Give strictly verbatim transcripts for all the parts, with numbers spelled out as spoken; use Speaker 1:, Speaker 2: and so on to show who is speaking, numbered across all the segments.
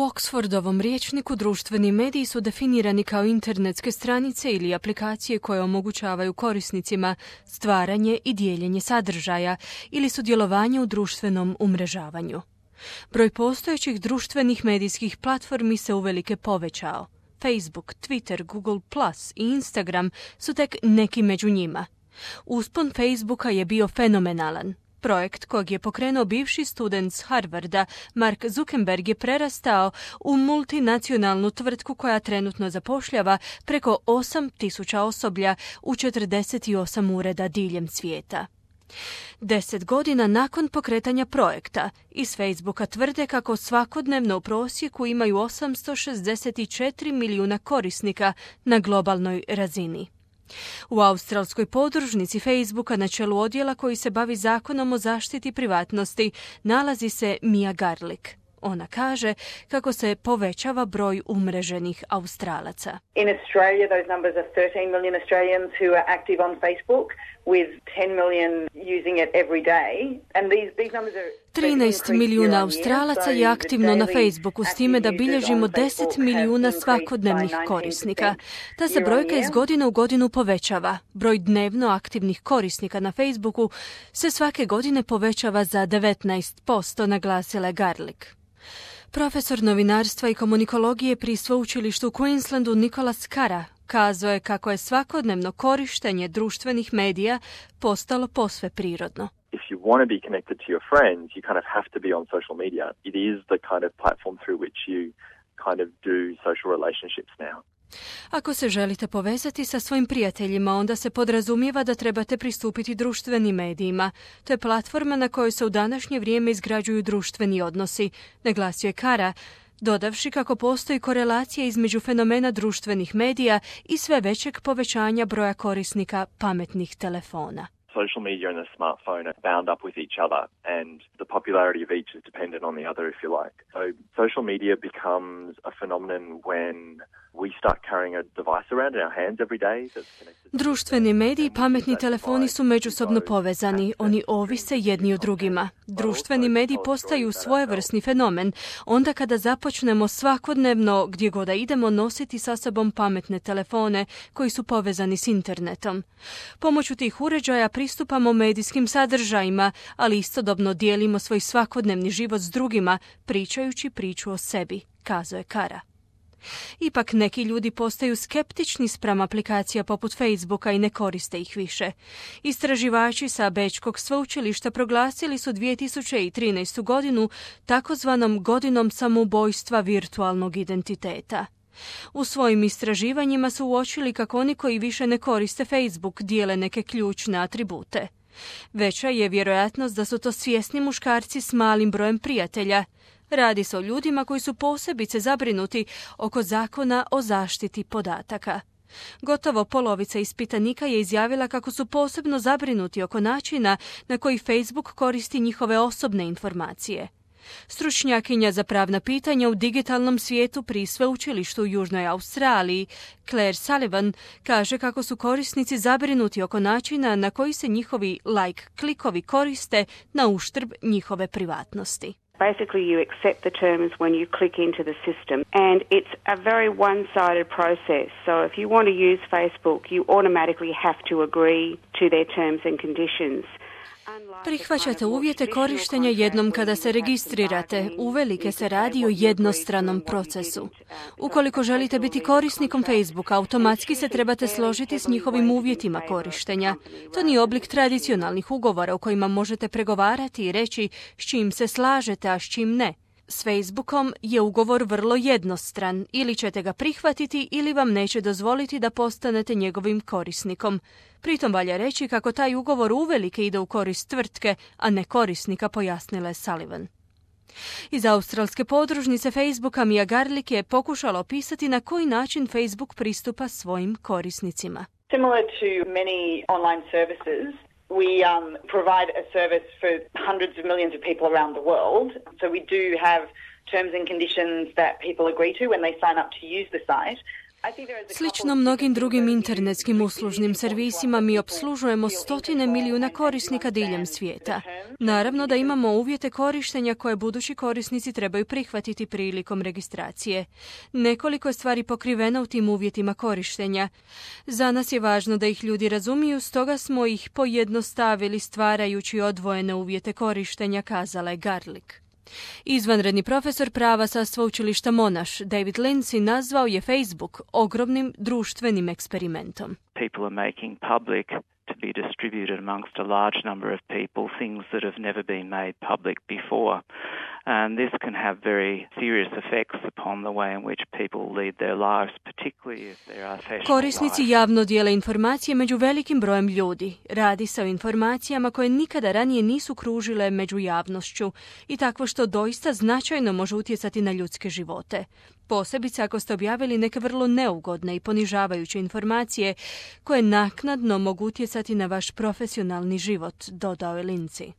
Speaker 1: Oxfordovom rječniku društveni mediji su definirani kao internetske stranice ili aplikacije koje omogućavaju korisnicima stvaranje i dijeljenje sadržaja ili sudjelovanje u društvenom umrežavanju. Broj postojećih društvenih medijskih platformi se uvelike povećao. Facebook, Twitter, Google plus i Instagram su tek neki među njima. Uspon Facebooka je bio fenomenalan. Projekt kojeg je pokrenuo bivši student s Harvarda, Mark Zuckerberg, je prerastao u multinacionalnu tvrtku koja trenutno zapošljava preko osam tisuća osoblja u četrdeset osam ureda diljem svijeta. Deset godina nakon pokretanja projekta, iz Facebooka tvrde kako svakodnevno u prosjeku imaju osamsto šezdeset četiri milijuna korisnika na globalnoj razini. U australskoj podružnici Facebooka na čelu odjela koji se bavi zakonom o zaštiti privatnosti nalazi se Mia Garlick. Ona kaže kako se povećava broj umreženih Australaca.
Speaker 2: In Australia, those numbers are thirteen million Australians who are active on Facebook, with ten million using it every day. And these, these numbers are
Speaker 1: trinaest milijuna Australaca je aktivno na Facebooku, s time da bilježimo deset milijuna svakodnevnih korisnika. Ta se brojka iz godine u godinu povećava. Broj dnevno aktivnih korisnika na Facebooku se svake godine povećava za devetnaest posto, naglasila je Garlick. Profesor novinarstva i komunikologije pri sveučilištu u Queenslandu Nicholas Carra kazao je kako je svakodnevno korištenje društvenih medija postalo posve prirodno.
Speaker 3: If you want to be connected to your friends, you kind of have to be on social media. It is the kind of platform through which you kind of do social relationships now.
Speaker 1: Ako se želite povezati sa svojim prijateljima, onda se podrazumijeva da trebate pristupiti društvenim medijima. To je platforma na kojoj se u današnje vrijeme izgrađuju društveni odnosi, naglasio je Carra, dodavši kako postoji korelacija između fenomena društvenih medija i sve većeg povećanja broja korisnika pametnih telefona.
Speaker 3: Social media and the smartphone are bound up with each other, and the popularity of each is dependent on the other, if you like. So social media becomes a phenomenon when we start carrying a device around in our hands every day that's connected.
Speaker 1: Društveni mediji i pametni telefoni su međusobno povezani, oni ovise jedni o drugima. Društveni mediji postaju svojevrsni fenomen onda kada započnemo svakodnevno, gdje god da idemo, nositi sa sobom pametne telefone koji su povezani s internetom. Pomoću tih uređaja pristupamo medijskim sadržajima, ali istodobno dijelimo svoj svakodnevni život s drugima, pričajući priču o sebi, kazao je Carra. Ipak neki ljudi postaju skeptični spram aplikacija poput Facebooka i ne koriste ih više. Istraživači sa Bečkog sveučilišta proglasili su dvije tisuće trinaestu godinu takozvanom godinom samoubojstva virtualnog identiteta. U svojim istraživanjima su uočili kako oni koji više ne koriste Facebook dijele neke ključne atribute. Veća je vjerojatnost da su to svjesni muškarci s malim brojem prijatelja. Radi se o ljudima koji su posebice zabrinuti oko zakona o zaštiti podataka. Gotovo polovica ispitanika je izjavila kako su posebno zabrinuti oko načina na koji Facebook koristi njihove osobne informacije. Stručnjakinja za pravna pitanja u digitalnom svijetu pri sveučilištu u Južnoj Australiji, Claire Sullivan, kaže kako su korisnici zabrinuti oko načina na koji se njihovi like klikovi koriste na uštrb njihove privatnosti.
Speaker 4: Basically, you accept the terms when you click into the system, and it's a very one-sided process. So if you want to use Facebook, you automatically have to agree to their terms and conditions.
Speaker 1: Prihvaćate uvjete korištenja jednom kada se registrirate. Uvelike se radi o jednostranom procesu. Ukoliko želite biti korisnikom Facebooka, automatski se trebate složiti s njihovim uvjetima korištenja. To nije oblik tradicionalnih ugovora u kojima možete pregovarati i reći s čim se slažete, a s čim ne. S Facebookom je ugovor vrlo jednostran. Ili ćete ga prihvatiti ili vam neće dozvoliti da postanete njegovim korisnikom. Pritom valja reći kako taj ugovor uvelike ide u korist tvrtke, a ne korisnika, pojasnila je Sullivan. Iz australske podružnice Facebooka Mia Garlick je pokušala opisati na koji način Facebook pristupa svojim korisnicima.
Speaker 2: Similar to many online services, we um, provide a service for hundreds of millions of people around the world. So we do have terms and conditions that people agree to when they sign up to use the site.
Speaker 1: Slično mnogim drugim internetskim uslužnim servisima mi opslužujemo stotine milijuna korisnika diljem svijeta. Naravno da imamo uvjete korištenja koje budući korisnici trebaju prihvatiti prilikom registracije. Nekoliko je stvari pokriveno u tim uvjetima korištenja. Za nas je važno da ih ljudi razumiju, stoga smo ih pojednostavili stvarajući odvojene uvjete korištenja, kazala je Garlick. Izvanredni profesor prava sa sveučilišta Monash, David Lindsay, nazvao je Facebook ogromnim društvenim eksperimentom.
Speaker 5: People are making public to be distributed amongst a large number of people, things that have never been made public before. And this can have very serious effects upon the way in which people lead their lives, particularly if there are fashionable
Speaker 1: Korisnici javno dijele informacije među velikim brojem ljudi. Radi se o informacijama koje nikada ranije nisu kružile među javnošću i takvo što doista značajno može utjecati na ljudske živote. Posebice ako ste objavili neke vrlo neugodne i ponižavajuće informacije koje naknadno mogu utjecati na vaš profesionalni život, dodao je Lindsay.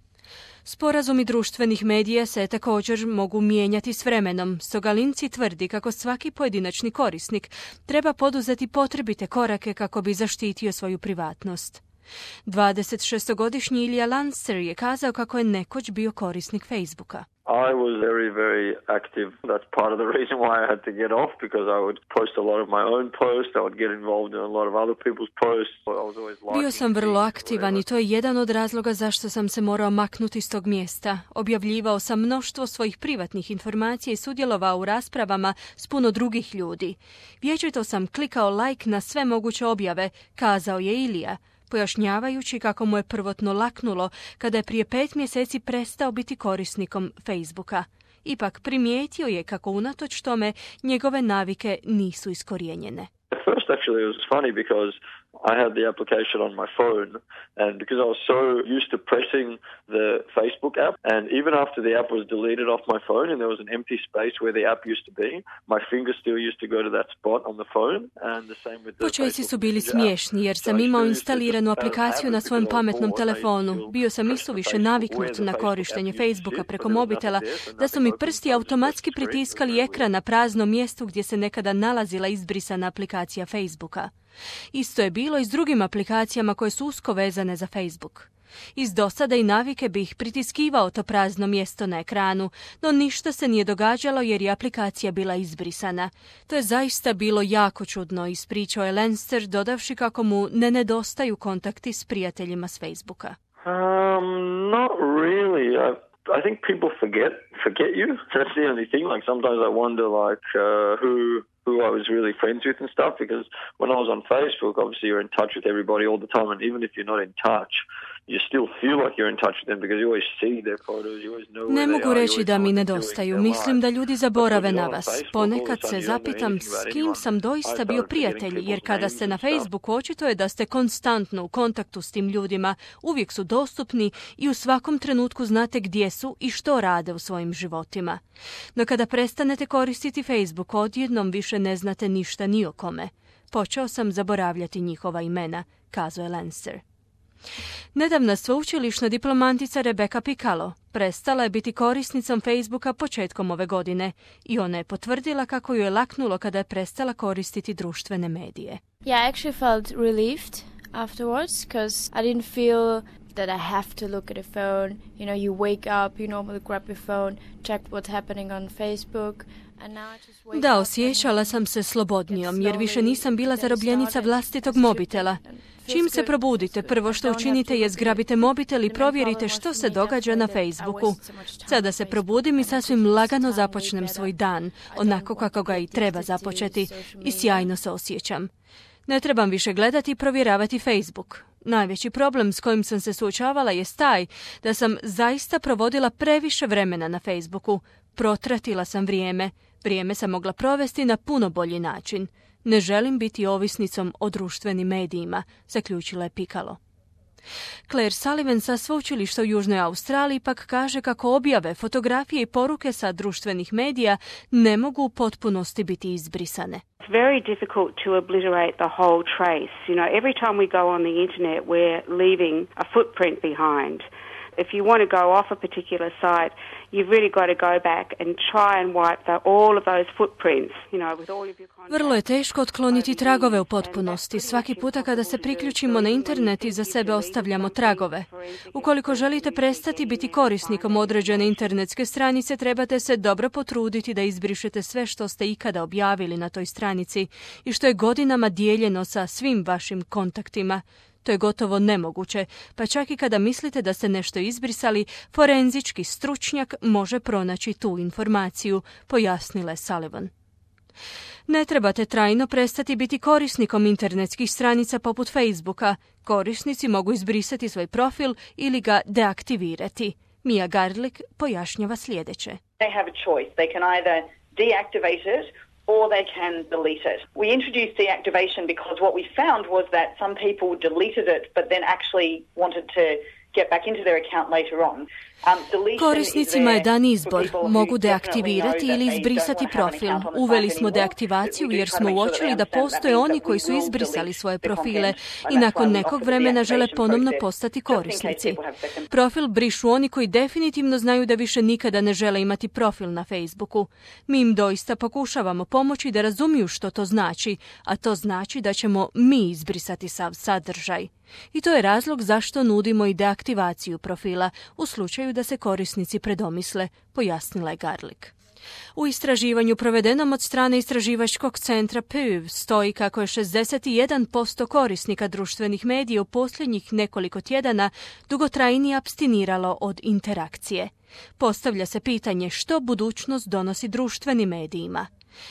Speaker 1: Sporazumi društvenih medija se također mogu mijenjati s vremenom, stoga Lindsay tvrdi kako svaki pojedinačni korisnik treba poduzeti potrebite korake kako bi zaštitio svoju privatnost. dvadesetšestogodišnji Ilija Lancer je kazao kako je nekoć bio korisnik Facebooka.
Speaker 6: I was very, very active. That's part of the reason why I had to get off, because I would post a lot of my own posts. I would get involved in a lot of other people's posts. I was always liking.
Speaker 1: Bio sam vrlo aktivan i to je jedan od razloga zašto sam se morao maknuti s tog mjesta. Objavljivao sam mnoštvo svojih privatnih informacija i sudjelovao u raspravama s puno drugih ljudi. Vječito sam klikao like na sve moguće objave, kazao je Ilija, pojašnjavajući kako mu je prvotno laknulo kada je prije pet mjeseci prestao biti korisnikom Facebooka. Ipak primijetio je kako unatoč tome njegove navike nisu iskorijenjene.
Speaker 6: At first actually it was funny because I had the application on my phone, and because I was so used to pressing the Facebook app, and even after the app was deleted off my phone and there was an empty space where the app used to be, my finger still used to go to that spot on the phone, and the same with the
Speaker 1: Počeci su bili smiješni jer sam imao instaliranu aplikaciju na svojem pametnom telefonu. Bio sam isuviše naviknut na korištenje Facebooka preko mobitela da su mi prsti automatski pritiskali ekran na prazno mjesto gdje se nekada nalazila izbrisana aplikacija Facebooka. Isto je bilo i s drugim aplikacijama koje su usko vezane za Facebook. Iz dosade i navike bih pritiskivao to prazno mjesto na ekranu, no ništa se nije događalo jer je aplikacija bila izbrisana. To je zaista bilo jako čudno, ispričao je Lancer, dodavši kako mu ne nedostaju kontakti s prijateljima s Facebooka.
Speaker 6: Um, not really. I, I think people forget forget you. That's the only thing. Like sometimes I wonder like uh, who who I was really friends with and stuff, because when I was on Facebook, obviously you're in touch with everybody all the time, and even if you're not in touch, you still feel like you're in touch with them because you always see their photos, you always know where
Speaker 1: Ne
Speaker 6: they
Speaker 1: mogu
Speaker 6: are,
Speaker 1: reći
Speaker 6: you
Speaker 1: da mi
Speaker 6: always know
Speaker 1: nedostaju.
Speaker 6: what they're
Speaker 1: Mislim
Speaker 6: like.
Speaker 1: da ljudi zaborave
Speaker 6: But when
Speaker 1: na
Speaker 6: you're on
Speaker 1: vas.
Speaker 6: Facebook, all of a
Speaker 1: Ponekad
Speaker 6: sudden
Speaker 1: se
Speaker 6: you don't know
Speaker 1: zapitam
Speaker 6: anything
Speaker 1: s
Speaker 6: about
Speaker 1: kim
Speaker 6: anyone.
Speaker 1: sam
Speaker 6: I
Speaker 1: doista
Speaker 6: started
Speaker 1: bio
Speaker 6: forgetting
Speaker 1: prijatelj, jer
Speaker 6: people's
Speaker 1: kada
Speaker 6: names
Speaker 1: ste na
Speaker 6: and stuff.
Speaker 1: Facebooku očito je da ste konstantno u kontaktu s tim ljudima, uvijek su dostupni i u svakom trenutku znate gdje su i što rade u svojim životima. No kada prestanete koristiti Facebook, odjednom više ne znate ništa ni o kome. Počeo sam zaboravljati njihova imena, kazao je Lancer. Nedavna sveučilišna diplomantica Rebecca Piccolo prestala je biti korisnicom Facebooka početkom ove godine i ona je potvrdila kako ju je laknulo kada je prestala koristiti društvene medije.
Speaker 7: Yeah, I actually felt relieved afterwards because I didn't feel that I have to look at a phone. You know, you wake up, you normally grab your phone, check what's happening on Facebook.
Speaker 1: Da, osjećala sam se slobodnijom jer više nisam bila zarobljenica vlastitog mobitela. Čim se probudite, prvo što učinite je zgrabite mobitel i provjerite što se događa na Facebooku. Sada se probudim i sasvim lagano započnem svoj dan, onako kako ga i treba započeti, i sjajno se osjećam. Ne trebam više gledati i provjeravati Facebook. Najveći problem s kojim sam se suočavala je taj da sam zaista provodila previše vremena na Facebooku. Protratila sam vrijeme. Vrijeme sam mogla provesti na puno bolji način. Ne želim biti ovisnicom o društvenim medijima, zaključila je Piccolo. Claire Sullivan sa sveučilišta u Južnoj Australiji pak kaže kako objave, fotografije i poruke sa društvenih medija ne mogu u potpunosti biti izbrisane.
Speaker 4: It's very difficult to obliterate the whole trace. You know, every time we go on the internet, we're leaving a footprint behind. If you want to go off a particular site, you've really got to go back and try and wipe the, all of those footprints, you know, with all of your contacts.
Speaker 1: Vrlo je teško otkloniti tragove u potpunosti. Svaki puta kada se priključimo na internet i za sebe ostavljamo tragove. Ukoliko želite prestati biti korisnikom određene internetske stranice, trebate se dobro potruditi da izbrišete sve što ste ikada objavili na toj stranici i što je godinama dijeljeno sa svim vašim kontaktima. To je gotovo nemoguće, pa čak i kada mislite da ste nešto izbrisali, forenzički stručnjak može pronaći tu informaciju, pojasnila je Sullivan. Ne trebate trajno prestati biti korisnikom internetskih stranica poput Facebooka. Korisnici mogu izbrisati svoj profil ili ga deaktivirati. Mia Garlick pojašnjava sljedeće.
Speaker 2: They have a choice. They can either deactivate it or they can delete it. We introduced deactivation because what we found was that some people deleted it but then actually wanted to get back into their account later on.
Speaker 1: Korisnicima je dan izbor. Mogu deaktivirati ili izbrisati profil. Uveli smo deaktivaciju jer smo uočili da postoje oni koji su izbrisali svoje profile i nakon nekog vremena žele ponovno postati korisnici. Profil brišu oni koji definitivno znaju da više nikada ne žele imati profil na Facebooku. Mi im doista pokušavamo pomoći da razumiju što to znači, a to znači da ćemo mi izbrisati sav sadržaj. I to je razlog zašto nudimo i deaktivaciju profila u slučaju da se korisnici predomisle, pojasnila je Garlick. U istraživanju provedenom od strane istraživačkog centra Pew stoji kako je šezdeset jedan posto korisnika društvenih medija u posljednjih nekoliko tjedana dugotrajnije apstiniralo od interakcije. Postavlja se pitanje što budućnost donosi društvenim medijima.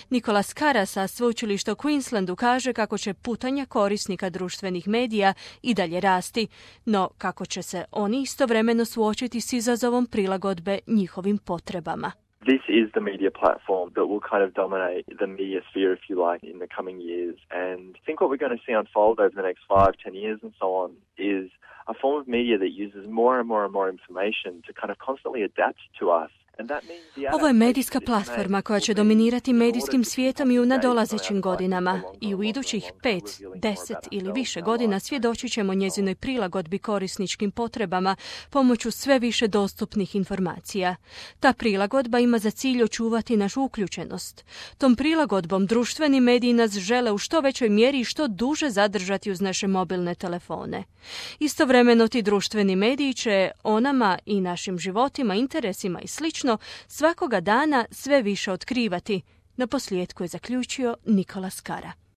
Speaker 1: Nicholas Carra sa sveučilišta u Queenslandu kaže kako će putanja korisnika društvenih medija i dalje rasti, no kako će se oni istovremeno suočiti s izazovom prilagodbe njihovim potrebama.
Speaker 3: This is the media platform that will kind of dominate the media sphere, if you like, in the coming years. And I think what we're going to see unfold over the next five, ten years and so on is a form of media that uses more and more and more information to kind of constantly adapt to us.
Speaker 1: Ovo je medijska platforma koja će dominirati medijskim svijetom i u nadolazećim godinama. I u idućih pet, deset ili više godina svjedočit ćemo njezinoj prilagodbi korisničkim potrebama pomoću sve više dostupnih informacija. Ta prilagodba ima za cilj očuvati našu uključenost. Tom prilagodbom društveni mediji nas žele u što većoj mjeri i što duže zadržati uz naše mobilne telefone. Istovremeno ti društveni mediji će o nama i našim životima, interesima i slično svakoga dana sve više otkrivati, na posljedku je zaključio Nicholas Carra.